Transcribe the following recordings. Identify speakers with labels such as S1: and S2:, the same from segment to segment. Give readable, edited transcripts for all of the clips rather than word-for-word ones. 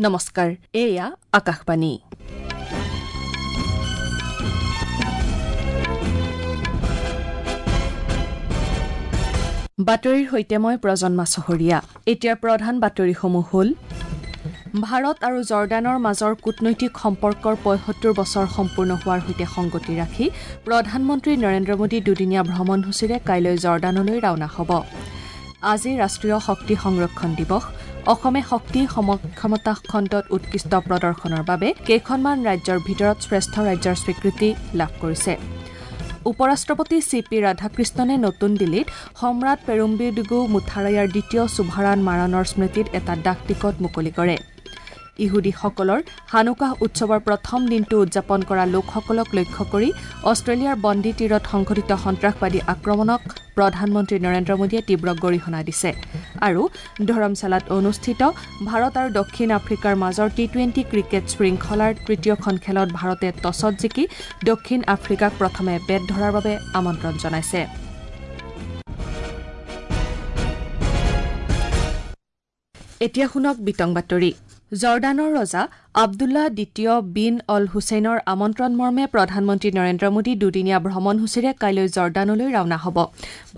S1: নমস্কাৰ, এয়া আকাশবাণী। বাতৰিৰ সৈতে মই প্ৰজন্মা চহৰীয়া। এতিয়াৰ প্ৰধান বাতৰিসমূহ হ'ল: ভাৰত আৰু জৰ্ডানৰ মাজৰ কূটনৈতিক সম্পৰ্কৰ ৭৫ বছৰ সম্পূৰ্ণ হোৱাৰ সৈতে সংগতি ৰাখি প্ৰধানমন্ত্ৰী নৰেন্দ্ৰ মোদী দুদিনীয়া ভ্ৰমণসূচীৰে কাইলৈ জৰ্ডানলৈ ৰাওনা হ'ব। আজি ৰাষ্ট্ৰীয় শক্তি সংৰক্ষণ দিৱস। অসমে শক্তি সক্ষমতা খণ্ডত উৎকৃষ্ট প্ৰদৰ্শনৰ বাবে কেইখনমান ৰাজ্যৰ ভিতৰত শ্ৰেষ্ঠ ৰাজ্যৰ স্বীকৃতি লাভ কৰিছে। উপ-ৰাষ্ট্ৰপতি চি পি ৰাধাকৃষ্ণনে নতুন দিল্লীত সম্ৰাট পেৰুম্বিডুগু মুথাৰায়াৰ দ্বিতীয় সুভাৰান মাৰাণৰ স্মৃতিত এটা ডাক টিকট মুকলি কৰে। ইহুদীসকলৰ হানুকাহ উৎসৱৰ প্ৰথম দিনটো উদযাপন কৰা লোকসকলক লক্ষ্য কৰি অষ্ট্ৰেলিয়াৰ বন্দী তীৰত সংঘটিত সন্ত্ৰাসবাদী আক্ৰমণক প্ৰধানমন্ত্ৰী নৰেন্দ্ৰ মোদীয়ে তীব্ৰ গৰিহণা দিছে। আৰু ধৰমশালাত অনুষ্ঠিত ভাৰত আৰু দক্ষিণ আফ্ৰিকাৰ মাজৰ টি-টুৱেণ্টি ক্ৰিকেট শৃংখলাৰ তৃতীয়খন খেলত ভাৰতে টছত জিকি দক্ষিণ আফ্ৰিকাক প্ৰথমে বেট ধৰাৰ বাবে আমন্ত্ৰণ জনাইছে। এতিয়া শুনক বিতং বাতৰি। জৰ্ডানৰ ৰজা আব্দুল্লাহ দ্বিতীয় বিন অল হুছেইনৰ আমন্ত্ৰণ মৰ্মে প্ৰধানমন্ত্ৰী নৰেন্দ্ৰ মোদী দুদিনীয়া ভ্ৰমণসূচীৰে কাইলৈ জৰ্ডানলৈ ৰাওনা হ'ব।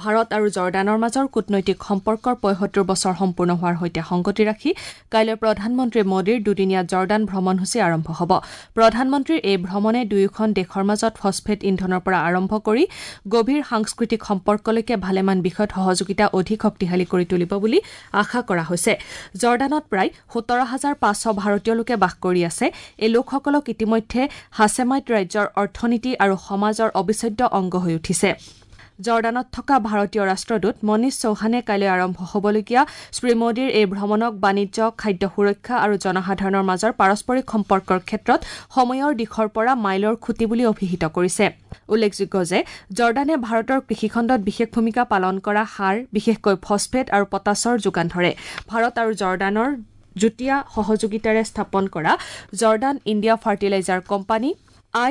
S1: ভাৰত আৰু জৰ্ডানৰ মাজৰ কূটনৈতিক সম্পৰ্কৰ ৭৫ বছৰ সম্পূৰ্ণ হোৱাৰ সৈতে সংগতি ৰাখি কাইলৈ প্ৰধানমন্ত্ৰী মোদীৰ দুদিনীয়া জৰ্ডান ভ্ৰমণসূচী আৰম্ভ হ'ব। প্ৰধানমন্ত্ৰীৰ এই ভ্ৰমণে দুয়োখন দেশৰ মাজত ফছফেট ইন্ধনৰ পৰা আৰম্ভ কৰি গভীৰ সাংস্কৃতিক সম্পৰ্কলৈকে ভালেমান বিষয়ত সহযোগিতা অধিক শক্তিশালী কৰি তুলিব বুলি আশা কৰা হৈছে। জৰ্ডানত প্ৰায় ১৭,৫০০ ভাৰতীয় লোকে বাস কৰি আছে। এই লোকসকলক ইতিমধ্যে হাছেমাইট ৰাজ্যৰ অৰ্থনীতি আৰু সমাজৰ অবিচ্ছেদ্য অংগ হৈ উঠিছে। জৰ্ডানত থকা ভাৰতীয় ৰাষ্ট্ৰদূত মনীষ চৌহানে কাইলৈ আৰম্ভ হ'বলগীয়া শ্ৰী মোদীৰ এই ভ্ৰমণক বাণিজ্য, খাদ্য সুৰক্ষা আৰু জনসাধাৰণৰ মাজৰ পাৰস্পৰিক সম্পৰ্কৰ ক্ষেত্ৰত সময়ৰ দিশৰ পৰা মাইলৰ খুঁটি বুলি অভিহিত কৰিছে। উল্লেখযোগ্য যে জৰ্ডানে ভাৰতৰ কৃষিখণ্ডত বিশেষ ভূমিকা পালন কৰা সাৰ, বিশেষকৈ ফছফেট আৰু পটাছৰ যোগান ধৰে। ভাৰত আৰু জৰ্ডানৰ যুটীয়া সহযোগিতাৰে স্থাপন কৰা Jordan India fertiliser company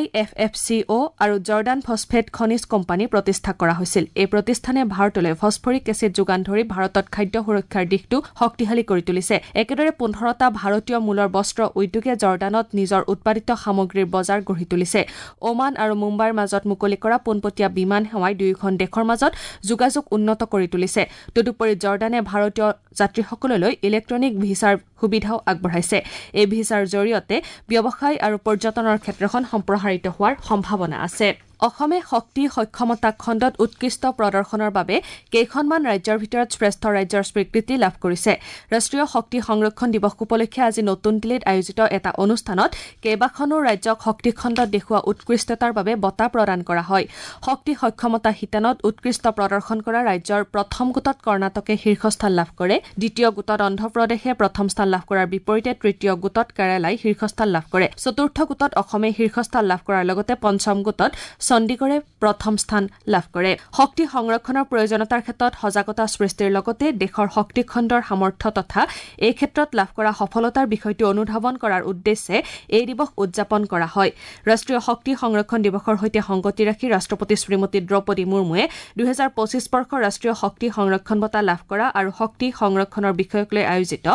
S1: IFFCO আৰু জৰ্ডান ফছফেট খনিজ কোম্পানী প্ৰতিষ্ঠা কৰা হৈছিল। এই প্ৰতিষ্ঠানে ভাৰতলৈ ফছফৰিক এচিড যোগান ধৰি ভাৰতত খাদ্য সুৰক্ষাৰ দিশটো শক্তিশালী কৰি তুলিছে। একেদৰে ১৫টা ভাৰতীয় মূলৰ বস্ত্ৰ উদ্যোগে জৰ্ডানত নিজৰ উৎপাদিত সামগ্ৰীৰ বজাৰ গঢ়ি তুলিছে। ওমান আৰু মুম্বাইৰ মাজত মুকলি কৰা পোনপটীয়া বিমান সেৱাই দুয়োখন দেশৰ মাজত যোগাযোগ উন্নত কৰি তুলিছে। তদুপৰি জৰ্ডানে ভাৰতীয় যাত্ৰীসকললৈ ইলেক্ট্ৰনিক ভিছাৰ সুবিধাও আগবঢ়াইছে। এই ভিছাৰ জৰিয়তে ব্যৱসায় আৰু পৰ্যটনৰ ক্ষেত্ৰখন সম্প্ৰসাৰিত হোৱাৰ সম্ভাৱনা আছে। অসমে শক্তি সক্ষমতা খণ্ডত উৎকৃষ্ট প্ৰদৰ্শনৰ বাবে কেইখনমান ৰাজ্যৰ ভিতৰত শ্ৰেষ্ঠ ৰাজ্যৰ স্বীকৃতি লাভ কৰিছে। ৰাষ্ট্ৰীয় শক্তি সংৰক্ষণ দিৱস উপলক্ষে আজি নতুন দিল্লীত আয়োজিত এটা অনুষ্ঠানত কেইবাখনো ৰাজ্যক শক্তি খণ্ডত দেখুওৱা উৎকৃষ্টতাৰ বাবে বঁটা প্ৰদান কৰা হয়। শক্তি সক্ষমতা শিতানত উৎকৃষ্ট প্ৰদৰ্শন কৰা ৰাজ্যৰ প্ৰথম গোটত কৰ্ণাটকে শীৰ্ষস্থান লাভ কৰে। দ্বিতীয় গোটত অন্ধ্ৰপ্ৰদেশে প্ৰথম স্থান লাভ কৰাৰ বিপৰীতে তৃতীয় গোটত কেৰালাই শীৰ্ষস্থান লাভ কৰে। চতুৰ্থ গোটত অসমে শীৰ্ষস্থান লাভ কৰাৰ লগতে পঞ্চম গোটত চণ্ডীগড়ে প্ৰথম স্থান লাভ কৰে। শক্তি সংৰক্ষণৰ প্ৰয়োজনীয়তাৰ ক্ষেত্ৰত সজাগতা সৃষ্টিৰ লগতে দেশৰ শক্তি খণ্ডৰ সামৰ্থ্য তথা এই ক্ষেত্ৰত লাভ কৰা সফলতাৰ বিষয়টো অনুধাৱন কৰাৰ উদ্দেশ্যে এই দিৱস উদযাপন কৰা হয়। ৰাষ্ট্ৰীয় শক্তি সংৰক্ষণ দিৱসৰ সৈতে সংগতি ৰাখি ৰাষ্ট্ৰপতি শ্ৰীমতী দ্ৰৌপদী মুৰ্মুৱে ২০২৫ বৰ্ষৰ ৰাষ্ট্ৰীয় শক্তি সংৰক্ষণ বঁটা লাভ কৰা আৰু শক্তি সংৰক্ষণৰ বিষয়ক লৈ আয়োজিত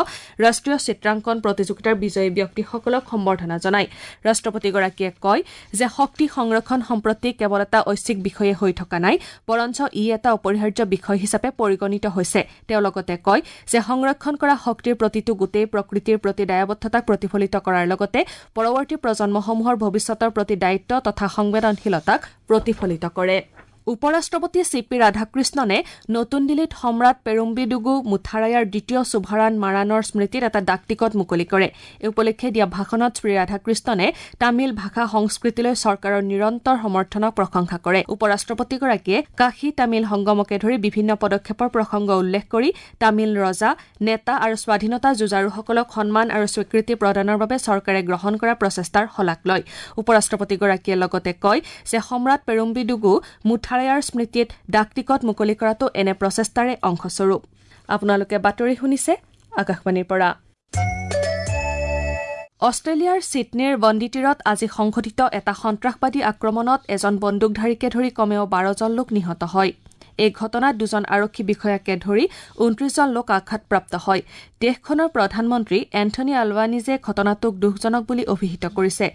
S1: ৰাষ্ট্ৰীয় চিত্ৰাংকন প্ৰতিযোগিতাৰ বিজয়ী ব্যক্তিসকলক সম্বৰ্ধনা জনায়। ৰাষ্ট্ৰপতিগৰাকীয়ে কয় যে শক্তি সংৰক্ষণ সম্প্ৰতি কেৱল এটা ঐচ্ছিক বিষয়ে হৈ থকা নাই, বৰঞ্চ ই এটা অপৰিহাৰ্য বিষয় হিচাপে পৰিগণিত হৈছে। তেওঁ লগতে কয় যে সংৰক্ষণ কৰা শক্তিৰ প্ৰতিটো গোটেই প্ৰকৃতিৰ প্ৰতি দায়বদ্ধতাক প্ৰতিফলিত কৰাৰ লগতে পৰৱৰ্তী প্ৰজন্মসমূহৰ ভৱিষ্যতৰ প্ৰতি দায়িত্ব তথা সংবেদনশীলতাক প্ৰতিফলিত কৰে। উপ-ৰাষ্ট্ৰপতি চি পি ৰাধাকৃষ্ণনে নতুন দিল্লীত সম্ৰাট পেৰুম্বিডুগু মুথাৰায়াৰ দ্বিতীয় সুভাৰান মাৰাণৰ স্মৃতিত এটা ডাক টিকট মুকলি কৰে। এই উপলক্ষে দিয়া ভাষণত শ্ৰী ৰাধাকৃষ্ণনে তামিল ভাষা সংস্কৃতিলৈ চৰকাৰৰ নিৰন্তৰ সমৰ্থনক প্ৰশংসা কৰে। উপ-ৰাষ্ট্ৰপতিগৰাকীয়ে কাশী তামিল সংগমকে ধৰি বিভিন্ন পদক্ষেপৰ প্ৰসংগ উল্লেখ কৰি তামিল ৰজা, নেতা আৰু স্বাধীনতা যুঁজাৰুসকলক সন্মান আৰু স্বীকৃতি প্ৰদানৰ বাবে চৰকাৰে গ্ৰহণ কৰা প্ৰচেষ্টাৰ শলাগ লয়। উপ-ৰাষ্ট্ৰপতিগৰাকীয়ে লগতে কয় যে সম্ৰাট পেৰুম্বিডুগু মুথাৰায়াৰ স্মৃতিত ডাক টিকট মুকলি কৰাটো এনে প্ৰচেষ্টাৰে অংশস্বৰূপ। আপোনালোকে বাতৰি শুনিছে আকাশবাণীৰ পৰা। অষ্ট্ৰেলিয়াৰ ছিডনীৰ বন্দীতীৰত আজি সংঘটিত এটা সন্ত্ৰাসবাদী আক্ৰমণত এজন বন্দুকধাৰীকে ধৰি কমেও ১২ জন লোক নিহত হয়। এই ঘটনাত 2জন আৰক্ষী বিষয়াকে ধৰি 29জন লোক আঘাতপ্ৰাপ্ত হয়। দেশখনৰ প্ৰধানমন্ত্ৰী এন্থনী আলবানিজে ঘটনাটোক দুখজনক বুলি অভিহিত কৰিছে।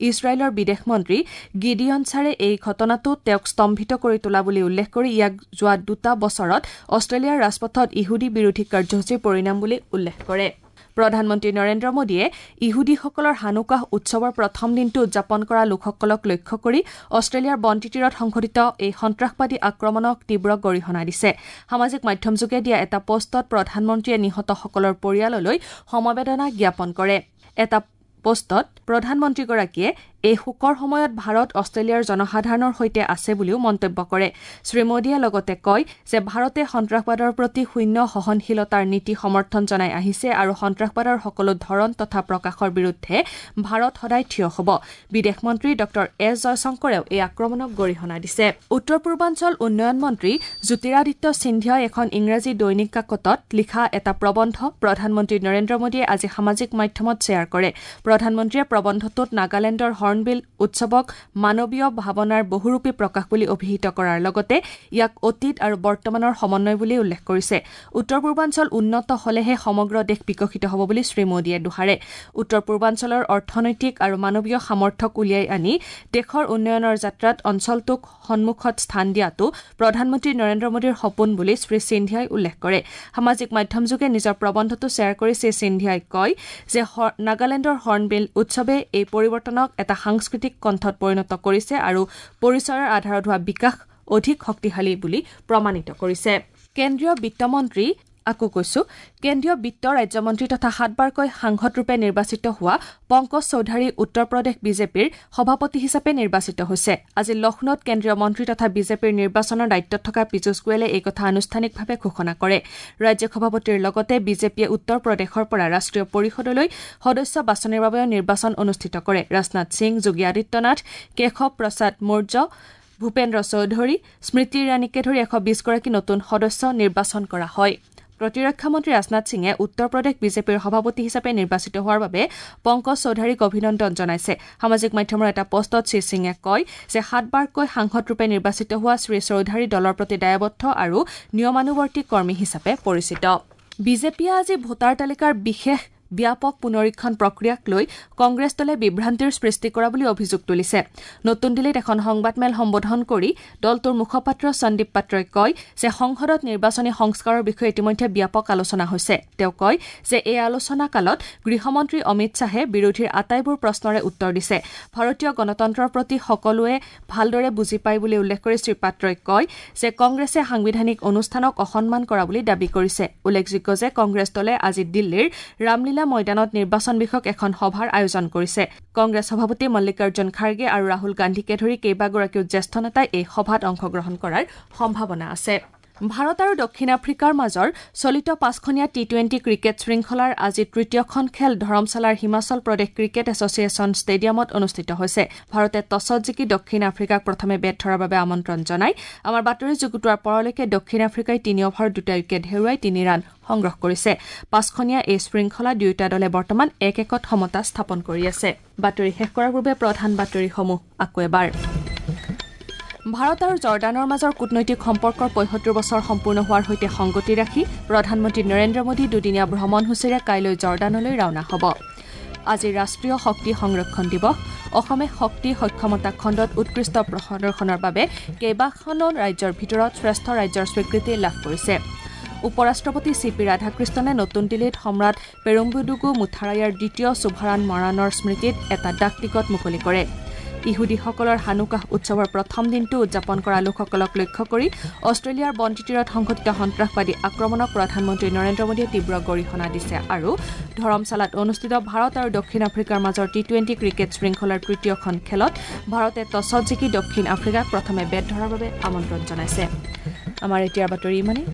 S1: ইজৰাইলৰ বিদেশ মন্ত্ৰী গিডিয়ন ছাৰে এই ঘটনাটো তেওঁক স্তম্ভিত কৰি তোলা বুলি উল্লেখ কৰি ইয়াক যোৱা 2 বছৰত অষ্ট্ৰেলিয়াৰ ৰাজপথত ইহুদী বিৰোধী কাৰ্যসূচীৰ পৰিণাম বুলি উল্লেখ কৰে। প্ৰধানমন্ত্ৰী নৰেন্দ্ৰ মোদীয়ে ইহুদীসকলৰ হানুকাহ উৎসৱৰ প্ৰথম দিনটো উদযাপন কৰা লোকসকলক লক্ষ্য কৰি অষ্ট্ৰেলিয়াৰ বন্তি তীৰত সংঘটিত এই সন্ত্ৰাসবাদী আক্ৰমণক তীব্ৰ গৰিহণা দিছে। সামাজিক মাধ্যমযোগে দিয়া এটা পোষ্টত প্ৰধানমন্ত্ৰীয়ে নিহতসকলৰ পৰিয়াললৈ সমবেদনা জ্ঞাপন কৰে। এটা পোষ্টত প্ৰধানমন্ত্ৰীগৰাকীয়ে এই শোকৰ সময়ত ভাৰত অষ্ট্ৰেলিয়াৰ জনসাধাৰণৰ সৈতে আছে বুলিও মন্তব্য কৰে। শ্ৰী মোদীয়ে লগতে কয় যে ভাৰতে সন্ত্ৰাসবাদৰ প্ৰতি শূন্য সহনশীলতাৰ নীতি সমৰ্থন জনাই আহিছে আৰু সন্ত্ৰাসবাদৰ সকলো ধৰণ তথা প্ৰকাশৰ বিৰুদ্ধে ভাৰত সদায় থিয় হ'ব। বিদেশ মন্ত্ৰী ডঃ এছ জয়শংকৰেও এই আক্ৰমণক গৰিহণা দিছে। উত্তৰ পূৰ্বাঞ্চল উন্নয়ন মন্ত্ৰী জ্যোতিৰাদিত্য সিন্ধিয়াই এখন ইংৰাজী দৈনিক কাকতত লিখা এটা প্ৰবন্ধ প্ৰধানমন্ত্ৰী নৰেন্দ্ৰ মোদীয়ে আজি সামাজিক মাধ্যমত শ্বেয়াৰ কৰে। প্ৰধানমন্ত্ৰীয়ে প্ৰবন্ধটোত নাগালেণ্ডৰ হৰ্ণবিল উৎসৱক মানৱীয় ভাৱনাৰ বহুৰূপী প্ৰকাশ বুলি অভিহিত কৰাৰ লগতে ইয়াক অতীত আৰু বৰ্তমানৰ সমন্বয় বুলি উল্লেখ কৰিছে। উত্তৰ পূৰ্বাঞ্চল উন্নত হলেহে সমগ্ৰ দেশ বিকশিত হ'ব বুলি শ্ৰী মোদীয়ে দোহাৰে। উত্তৰ পূৰ্বাঞ্চলৰ অৰ্থনৈতিক আৰু মানৱীয় সামৰ্থ্যক উলিয়াই আনি দেশৰ উন্নয়নৰ যাত্ৰাত অঞ্চলটোক সন্মুখত স্থান দিয়াটো প্ৰধানমন্ত্ৰী নৰেন্দ্ৰ মোদীৰ সপোন বুলি শ্ৰী সিন্ধিয়াই উল্লেখ কৰে। সামাজিক মাধ্যমযোগে নিজৰ প্ৰবন্ধটো শ্বেয়াৰ কৰি শ্ৰী সিন্ধিয়াই কয় যে নাগালেণ্ডৰ হৰ্ণবিল উৎসৱে এই পৰিৱৰ্তনক এটা সাংস্কৃতিক কণ্ঠত পৰিণত কৰিছে আৰু পৰিচয়ৰ আধাৰত হোৱা বিকাশ অধিক শক্তিশালী বুলি প্ৰমাণিত কৰিছে। কেন্দ্ৰীয় বিত্তমন্ত্ৰী আকৌ কৈছো কেন্দ্ৰীয় বিত্ত ৰাজ্যমন্ত্ৰী তথা 7বাৰকৈ সাংসদৰূপে নিৰ্বাচিত হোৱা পংকজ চৌধাৰী উত্তৰ প্ৰদেশ বিজেপিৰ সভাপতি হিচাপে নিৰ্বাচিত হৈছে। আজি লক্ষ্ণৌত কেন্দ্ৰীয় মন্ত্ৰী তথা বিজেপিৰ নিৰ্বাচনৰ দায়িত্বত থকা পীযুষ গোৱেলে এই কথা আনুষ্ঠানিকভাৱে ঘোষণা কৰে। ৰাজ্যিক সভাপতিৰ লগতে বিজেপিয়ে উত্তৰ প্ৰদেশৰ পৰা ৰাষ্ট্ৰীয় পৰিষদলৈ সদস্য বাছনিৰ বাবেও নিৰ্বাচন অনুষ্ঠিত কৰে। ৰাজনাথ সিং, যোগী আদিত্যনাথ, কেশৱ প্ৰসাদ মৌৰ্য, ভূপেন্দ্ৰ চৌধুৰী, স্মৃতি ইৰাণীকে ধৰি 120গৰাকী নতুন সদস্য নিৰ্বাচন কৰা হয়। প্ৰতিৰক্ষা মন্ত্ৰী ৰাজনাথ সিঙে উত্তৰ প্ৰদেশ বিজেপিৰ সভাপতি হিচাপে নিৰ্বাচিত হোৱাৰ বাবে পংকজ চৌধাৰীক অভিনন্দন জনাইছে। সামাজিক মাধ্যমৰ এটা পোষ্টত শ্ৰী সিঙে কয় যে 7বাৰকৈ সাংসদৰূপে নিৰ্বাচিত হোৱা শ্ৰী চৌধাৰী দলৰ প্ৰতি দায়বদ্ধ আৰু নিয়মানুৱৰ্তী কৰ্মী হিচাপে পৰিচিত। বিজেপিয়ে আজি ভোটাৰ তালিকাৰ বিশেষ ব্যাপক পুনৰীক্ষণ প্ৰক্ৰিয়াক লৈ কংগ্ৰেছ দলে বিভ্ৰান্তিৰ সৃষ্টি কৰা বুলি অভিযোগ তুলিছে। নতুন দিল্লীত এখন সংবাদমেল সম্বোধন কৰি দলটোৰ মুখপাত্ৰ সন্দীপ পাত্ৰই কয় যে সংসদত নিৰ্বাচনী সংস্কাৰৰ বিষয়ে ইতিমধ্যে ব্যাপক আলোচনা হৈছে। তেওঁ কয় যে এই আলোচনা কালত গৃহমন্ত্ৰী অমিত শ্বাহে বিৰোধীৰ আটাইবোৰ প্ৰশ্নৰে উত্তৰ দিছে। ভাৰতীয় গণতন্ত্ৰৰ প্ৰতি সকলোৱে ভালদৰে বুজি পায় বুলি উল্লেখ কৰি শ্ৰী পাত্ৰই কয় যে কংগ্ৰেছে সাংবিধানিক অনুষ্ঠানক অসন্মান কৰা বুলি দাবী কৰিছে। উল্লেখযোগ্য যে কংগ্ৰেছ দলে আজি দিল্লীৰ ৰামলীলা ময়দানত নিৰ্বাচন বিষয়ক এখন সভাৰ আয়োজন কৰিছে। কংগ্ৰেছ সভাপতি মল্লিকাৰ্জুন খাৰ্গে আৰু ৰাহুল গান্ধীকে ধৰি কেইবাগৰাকীও জ্যেষ্ঠ নেতাই এই সভাত অংশগ্ৰহণ কৰাৰ সম্ভাৱনা আছে। ভাৰত আৰু দক্ষিণ আফ্ৰিকাৰ মাজৰ চলিত 5খনীয়া টি-20 ক্ৰিকেট শৃংখলাৰ আজি তৃতীয়খন খেল ধৰমশালাৰ হিমাচল প্ৰদেশ ক্ৰিকেট এছ'চিয়েশ্যন ষ্টেডিয়ামত অনুষ্ঠিত হৈছে। ভাৰতে টছত জিকি দক্ষিণ আফ্ৰিকাক প্ৰথমে বেট ধৰাৰ বাবে আমন্ত্ৰণ জনায়। আমাৰ বাতৰি যুগুতোৱাৰ পৰলৈকে দক্ষিণ আফ্ৰিকাই 3 অভাৰত 2টা উইকেট হেৰুৱাই 3 ৰান সংগ্ৰহ কৰিছে। 5খনীয়া এই শৃংখলা দুয়োটা দলে বৰ্তমান 1-1 সমতা স্থাপন কৰি আছে। বাতৰি শেষ কৰাৰ পূৰ্বে প্ৰধান বাতৰিসমূহ আকৌ এবাৰ। ভাৰত আৰু জৰ্ডানৰ মাজৰ কূটনৈতিক সম্পৰ্কৰ 75 বছৰ সম্পূৰ্ণ হোৱাৰ সৈতে সংগতি ৰাখি প্ৰধানমন্ত্ৰী নৰেন্দ্ৰ মোদী দুদিনীয়া ভ্ৰমণসূচীৰে কাইলৈ জৰ্ডানলৈ ৰাওনা হ'ব। আজি ৰাষ্ট্ৰীয় শক্তি সংৰক্ষণ দিৱস। অসমে শক্তি সক্ষমতা খণ্ডত উৎকৃষ্ট প্ৰদৰ্শনৰ বাবে কেইবাখনো ৰাজ্যৰ ভিতৰত শ্ৰেষ্ঠ ৰাজ্যৰ স্বীকৃতি লাভ কৰিছে। উপ ৰাষ্ট্ৰপতি চি পি ৰাধাকৃষ্ণনে নতুন দিল্লীত সম্ৰাট পেৰুম্বুডুগু মুথাৰায়াৰ দ্বিতীয় সুভাৰান মৰাণৰ স্মৃতিত এটা ডাক টিকট মুকলি কৰে। ইহুদীসকলৰ হানুকাহ উৎসৱৰ প্ৰথম দিনটো উদযাপন কৰা লোকসকলক লক্ষ্য কৰি অষ্ট্ৰেলিয়াৰ বন্তি তীৰত সংঘটিত সন্ত্ৰাসবাদী আক্ৰমণক প্ৰধানমন্ত্ৰী নৰেন্দ্ৰ মোদীয়ে তীব্ৰ গৰিহণা দিছে। আৰু ধৰমশালাত অনুষ্ঠিত ভাৰত আৰু দক্ষিণ আফ্ৰিকাৰ মাজৰ টি-20 ক্ৰিকেট শৃংখলাৰ তৃতীয়খন খেলত ভাৰতে টছত জিকি দক্ষিণ আফ্ৰিকাক প্ৰথমে বেট ধৰাৰ বাবে আমন্ত্ৰণ জনাইছে। আমাৰ এতিয়াৰ বাতৰি ইমানেই।